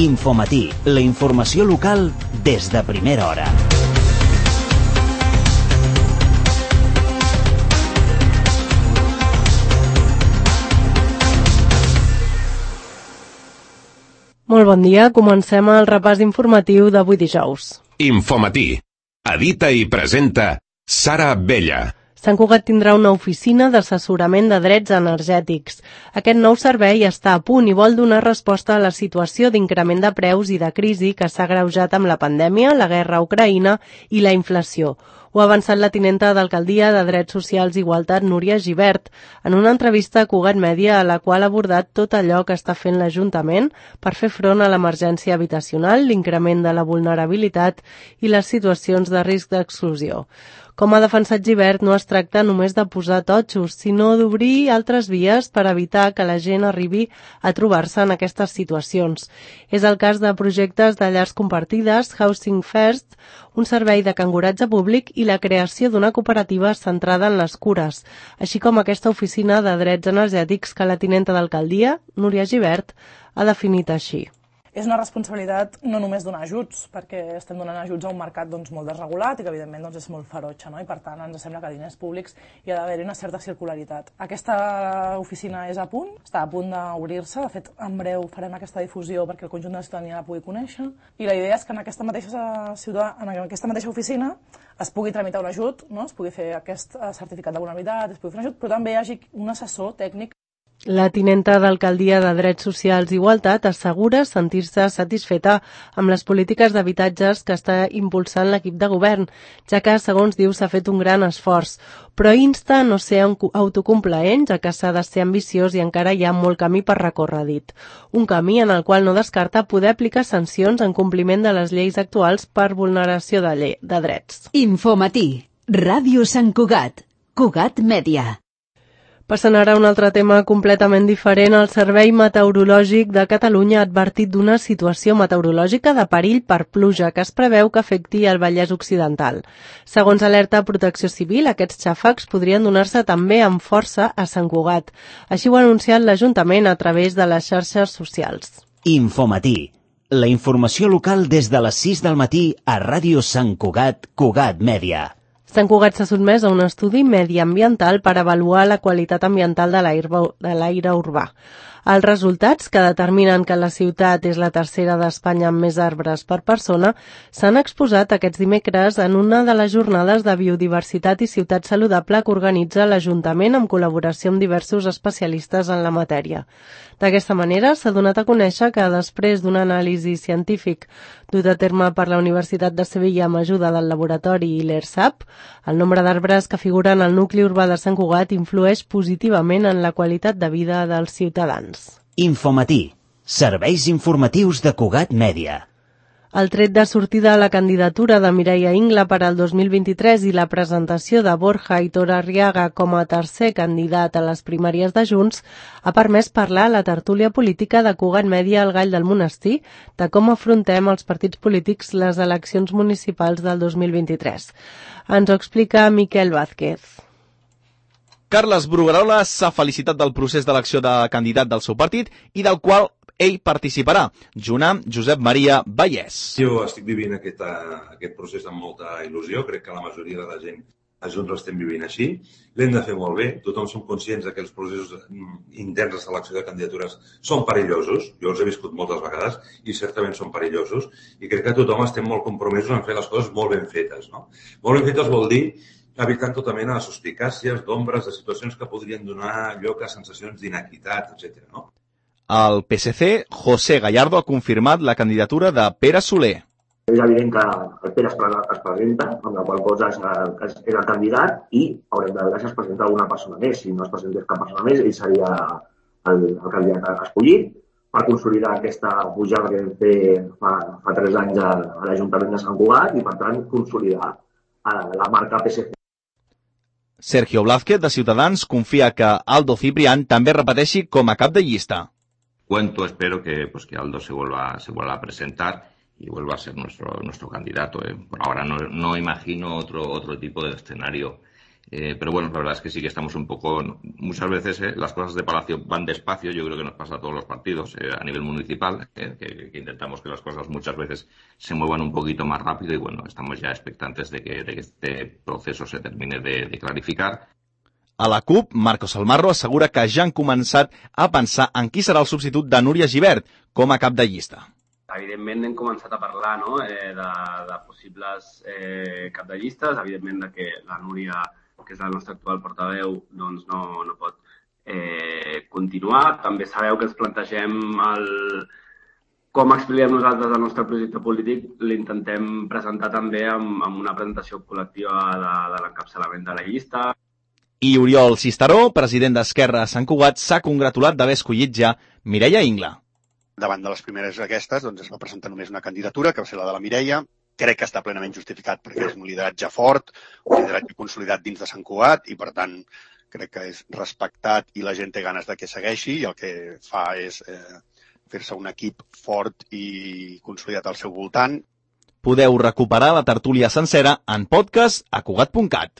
Infomatí, la informació local des de primera hora. Molt bon dia, comencem el repàs informatiu d'avui dijous. Infomatí. Edita i presenta Sara Abella. Sant Cugat tindrà una oficina d'assessorament de drets energètics. Aquest nou servei està a punt i vol donar resposta a la situació d'increment de preus i de crisi que s'ha agreujat amb la pandèmia, la guerra a Ucraïna i la inflació. Ho ha avançat la tinenta d'Alcaldia de Drets Socials i Igualtat, Núria Gibert, en una entrevista a Cugat Mèdia a la qual ha abordat tot allò que està fent l'Ajuntament per fer front a l'emergència habitacional, l'increment de la vulnerabilitat i les situacions de risc d'exclusió. Com ha defensat Gibert, no es tracta només de posar totxos, sinó d'obrir altres vies per evitar que la gent arribi a trobar-se en aquestes situacions. És el cas de projectes de llars compartides, Housing First, un servei de canguratge públic i la creació d'una cooperativa centrada en les cures, així com aquesta oficina de drets energètics que la tinenta d'Alcaldia, Núria Gibert, ha definit així. És una responsabilitat no només donar ajuts, perquè estem donant ajuts a un mercat molt desregulat i que evidentment és molt ferotge, no? I per tant ens sembla que a diners públics hi ha d'haver-hi una certa circularitat. Aquesta oficina és a punt, està a punt d'obrir-se, de fet en breu farem aquesta difusió perquè el conjunt de la ciutadania la pugui conèixer i la idea és que en aquesta mateixa oficina es pugui tramitar un ajut, no? Es pugui fer aquest certificat de vulnerabilitat, es pugui fer un ajut, però també hi hagi un assessor tècnic. La tinenta d'Alcaldia de Drets Socials i Igualtat assegura sentir-se satisfeta amb les polítiques d'habitatges que està impulsant l'equip de govern, ja que, segons diu, s'ha fet un gran esforç, però insta a no ser autocomplaent, ja que s'ha de ser ambiciós i encara hi ha molt camí per recórrer, dit. Un camí en el qual no descarta poder aplicar sancions en compliment de les lleis actuals per vulneració de drets. Infomatí, Ràdio Sant Cugat, Cugat Mèdia. Passant ara a un altre tema completament diferent, el Servei Meteorològic de Catalunya ha advertit d'una situació meteorològica de perill per pluja que es preveu que afecti el Vallès Occidental. Segons alerta Protecció Civil, aquests xàfecs podrien donar-se també amb força a Sant Cugat. Així ho ha anunciat l'Ajuntament a través de les xarxes socials. Infomatí, la informació local des de les 6 del matí a Ràdio Sant Cugat, Cugat Mèdia. Sant Cugat s'ha sotmès a un estudi mediambiental per avaluar la qualitat ambiental de l'aire urbà. Els resultats, que determinen que la ciutat és la tercera d'Espanya amb més arbres per persona, s'han exposat aquests dimecres en una de les jornades de biodiversitat i ciutat saludable que organitza l'Ajuntament en col·laboració amb diversos especialistes en la matèria. D'aquesta manera, s'ha donat a conèixer que després d'un anàlisi científic dut a terme per la Universitat de Sevilla amb ajuda del laboratori i l'ERSAP, el nombre d'arbres que figuren al nucli urbà de Sant Cugat influeix positivament en la qualitat de vida dels ciutadans. Infomatí, serveis informatius de Cugat Mèdia. El tret de sortida a la candidatura de Mireia Ingla per al 2023 i la presentació de Borja Aitor Arriaga com a tercer candidat a les primàries de Junts ha permès parlar a la tertúlia política de Cugat Mèdia al Gall del Monestir de com afrontem els partits polítics les eleccions municipals del 2023. Ens ho explica Miquel Vázquez. Carles Bruguerola s'ha felicitat del procés d'elecció de candidat del seu partit i del qual ell participarà, junt amb Josep Maria Vallès. Jo estic vivint aquest procés amb molta il·lusió, crec que la majoria de la gent a Junts l'estem vivint així. L'hem de fer molt bé, tothom som conscients que els processos interns de selecció de candidatures són perillosos, jo els he viscut moltes vegades i certament són perillosos, i crec que tothom estem molt compromesos en fer les coses molt ben fetes, no? Molt ben fetes vol dir evitant tota mena de suspicàcies, d'ombres, de situacions que podrien donar lloc a sensacions d'inequitat, etc. No? El PSC, José Gallardo, ha confirmat la candidatura de Pere Soler. És evident que el Pere es presenta, amb la qual cosa és el candidat i haurem de veure si es presenta alguna persona més. Si no es presentés cap persona més, ell seria el candidat escollit per consolidar aquesta pujada que vam fer fa 3 anys a l'Ajuntament de Sant Cugat i, per tant, consolidar la marca PSC. Sergio Blázquez, de Ciutadans, confia que Aldo Ciprián també repeteixi com a cap de llista. Espero que Aldo se vuelva a presentar y vuelva a ser nuestro candidato. Por ahora no imagino otro tipo de escenario Pero bueno, la verdad es que sí que estamos un poco... Muchas veces las cosas de Palacio van despacio, yo creo que nos pasa a todos los partidos a nivel municipal, que intentamos que las cosas muchas veces se muevan un poquito más rápido y bueno, estamos ya expectantes de que este proceso se termine de clarificar. A la CUP, Marcos Almarro assegura que ja han començat a pensar en qui serà el substitut de Núria Gibert com a cap de llista. Evidentment hem començat a parlar de possibles cap de llistes, evidentment que la Núria, que és la nostra actual portaveu, doncs no pot continuar. També sabeu que ens plantegem com expliquem nosaltres el nostre projecte polític, l'intentem presentar també amb una presentació col·lectiva de l'encapçalament de la llista. I Oriol Cisteró, president d'Esquerra a Sant Cugat, s'ha congratulat d'haver escollit ja Mireia Ingla. Davant de les primeres aquestes, doncs es va presentar només una candidatura, que va ser la de la Mireia. Crec que està plenament justificat perquè és un lideratge fort, un lideratge consolidat dins de Sant Cugat i, per tant, crec que és respectat i la gent té ganes de que segueixi i el que fa és fer-se un equip fort i consolidat al seu voltant. Podeu recuperar la tertúlia sencera en podcast a cugat.cat.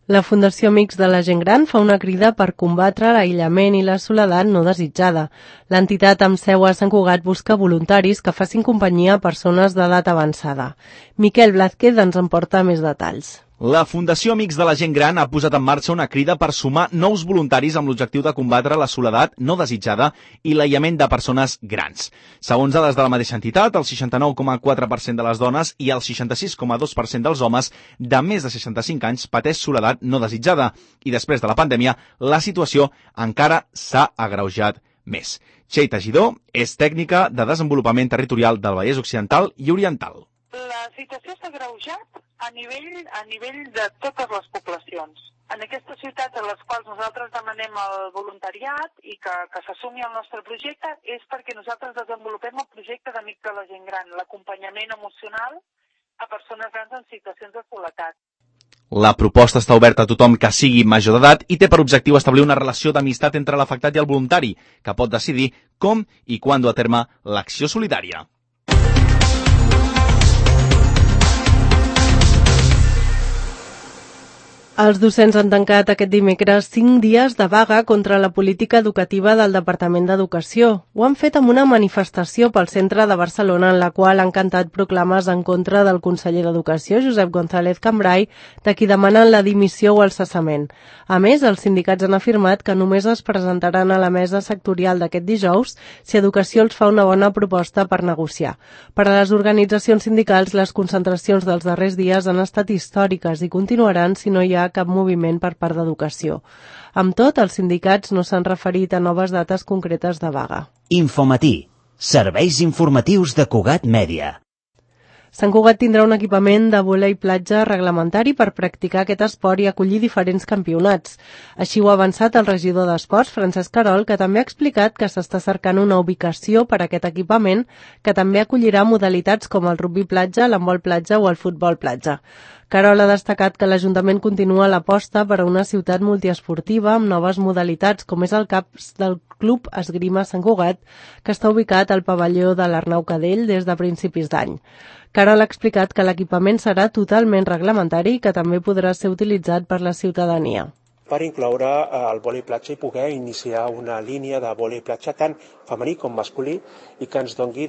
La Fundació Amics de la Gent Gran fa una crida per combatre l'aïllament i la soledat no desitjada. L'entitat amb seu a Sant Cugat busca voluntaris que facin companyia a persones d'edat avançada. Miquel Blázquez ens en porta més detalls. La Fundació Amics de la Gent Gran ha posat en marxa una crida per sumar nous voluntaris amb l'objectiu de combatre la soledat no desitjada i l'aïllament de persones grans. Segons dades de la mateixa entitat, el 69,4% de les dones i el 66,2% dels homes de més de 65 anys pateix soledat no desitjada i després de la pandèmia la situació encara s'ha agreujat més. Txell Teixidor és tècnica de desenvolupament territorial del Vallès Occidental i Oriental. La situació s'ha agreujat a nivell de totes les poblacions. En aquestes ciutats en les quals nosaltres demanem el voluntariat i que s'assumi el nostre projecte és perquè nosaltres desenvolupem el projecte d'Amics de la Gent Gran, l'acompanyament emocional a persones grans en situacions de soledat. La proposta està oberta a tothom que sigui major d'edat i té per objectiu establir una relació d'amistat entre l'afectat i el voluntari, que pot decidir com i quan dur a terme l'acció solidària. Els docents han tancat aquest dimecres 5 dies de vaga contra la política educativa del Departament d'Educació. Ho han fet amb una manifestació pel centre de Barcelona en la qual han cantat proclames en contra del conseller d'Educació, Josep González Cambray, de qui demanen la dimissió o el cessament. A més, els sindicats han afirmat que només es presentaran a la mesa sectorial d'aquest dijous si Educació els fa una bona proposta per negociar. Per a les organitzacions sindicals, les concentracions dels darrers dies han estat històriques i continuaran si no hi ha cap moviment per part d'Educació. Amb tot, els sindicats no s'han referit a noves dates concretes de vaga. Infomatí, serveis informatius de Cugat Mèdia. Sant Cugat tindrà un equipament de vòlei platja reglamentari per practicar aquest esport i acollir diferents campionats. Així ho ha avançat el regidor d'Esports, Francesc Querol, que també ha explicat que s'està cercant una ubicació per a aquest equipament que també acollirà modalitats com el rugbi platja, l'handbol platja o el futbol platja. Querol ha destacat que l'Ajuntament continua l'aposta per a una ciutat multiesportiva amb noves modalitats, com és el CAPS del Club Esgrima Sant Cugat, que està ubicat al pavelló de l'Arnau Cadell des de principis d'any. Querol ha explicat que l'equipament serà totalment reglamentari i que també podrà ser utilitzat per la ciutadania. Per incloure el vòlei platja i poder iniciar una línia de vòlei platja tant femení com masculí i que ens doni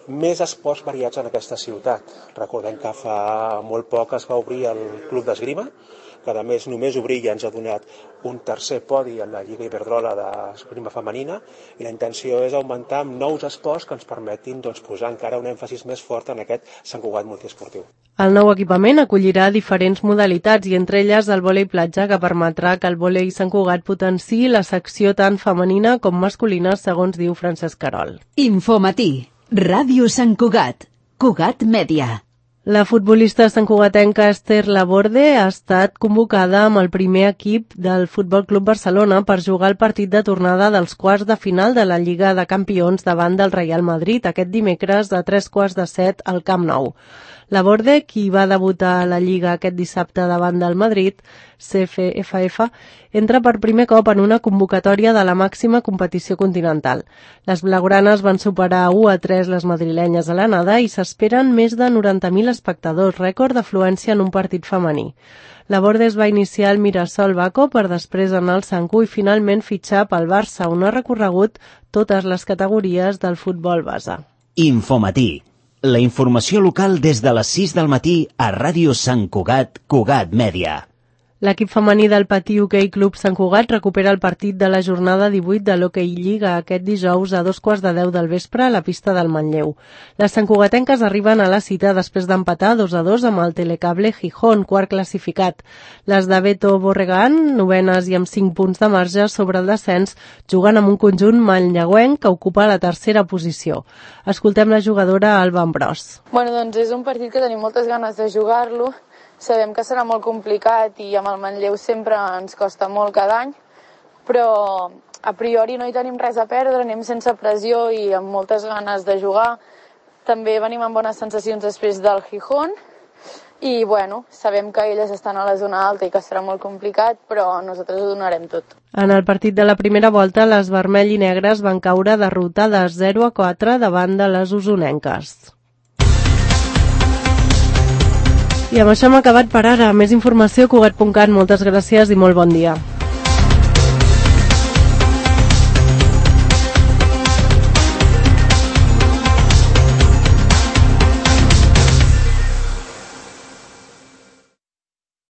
més esports variats en aquesta ciutat. Recordem que fa molt poc es va obrir el Club d'Esgrima, que a més només obrir ja ens ha donat un tercer podi en la Lliga Iberdrola d'esgrima femenina i la intenció és augmentar amb nous esports que ens permetin posar encara un èmfasis més fort en aquest Sant Cugat multiesportiu. El nou equipament acollirà diferents modalitats i entre elles el vòlei platja, que permetrà que el vòlei Sant Cugat potenciï la secció tant femenina com masculina, segons diu Francesc Querol. Infomatí, Ràdio Sant Cugat, Cugat Mèdia. La futbolista santcugatenca Esther Laborde ha estat convocada amb el primer equip del Futbol Club Barcelona per jugar el partit de tornada dels quarts de final de la Lliga de Campions davant del Real Madrid aquest dimecres a 6:45 al Camp Nou. Laborde, qui va debutar a la Lliga aquest dissabte davant del Madrid, CFF, entra per primer cop en una convocatòria de la màxima competició continental. Les blaugranes van superar 1-3 les madrilenyes a l'anada i s'esperen més de 90.000 espectadors, rècord d'afluència en un partit femení. Laborde es va iniciar al Mirasol Baco per després anar al Sanku i finalment fitxar pel Barça, on ha recorregut totes les categories del futbol base. Infomatí. La informació local des de les 6 del matí a Ràdio Sant Cugat, Cugat Mèdia. L'equip femení del Patí Hoquei Club Sant Cugat recupera el partit de la jornada 18 de l'Hoquei Lliga aquest dijous a 9:15 del vespre a la pista del Manlleu. Les santcugatenques arriben a la cita després d'empatar 2-2 amb el Telecable Gijón, quart classificat. Les de Beto Borregán, novenes i amb 5 punts de marge sobre el descens, juguen amb un conjunt manlleuenc que ocupa la tercera posició. Escoltem la jugadora Alba Ambrós. Bueno, doncs és un partit que tenim moltes ganes de jugar-lo. Sabem que serà molt complicat i amb el Manlleu sempre ens costa molt cada any, però a priori no hi tenim res a perdre, anem sense pressió i amb moltes ganes de jugar. També venim amb bones sensacions després del Gijón i bueno, sabem que elles estan a la zona alta i que serà molt complicat, però nosaltres ho donarem tot. En el partit de la primera volta, les vermell i negres van caure derrotades 0-4 davant de les usonenques. I amb això hem acabat per ara. Més informació a Cugat.cat. Moltes gràcies i molt bon dia.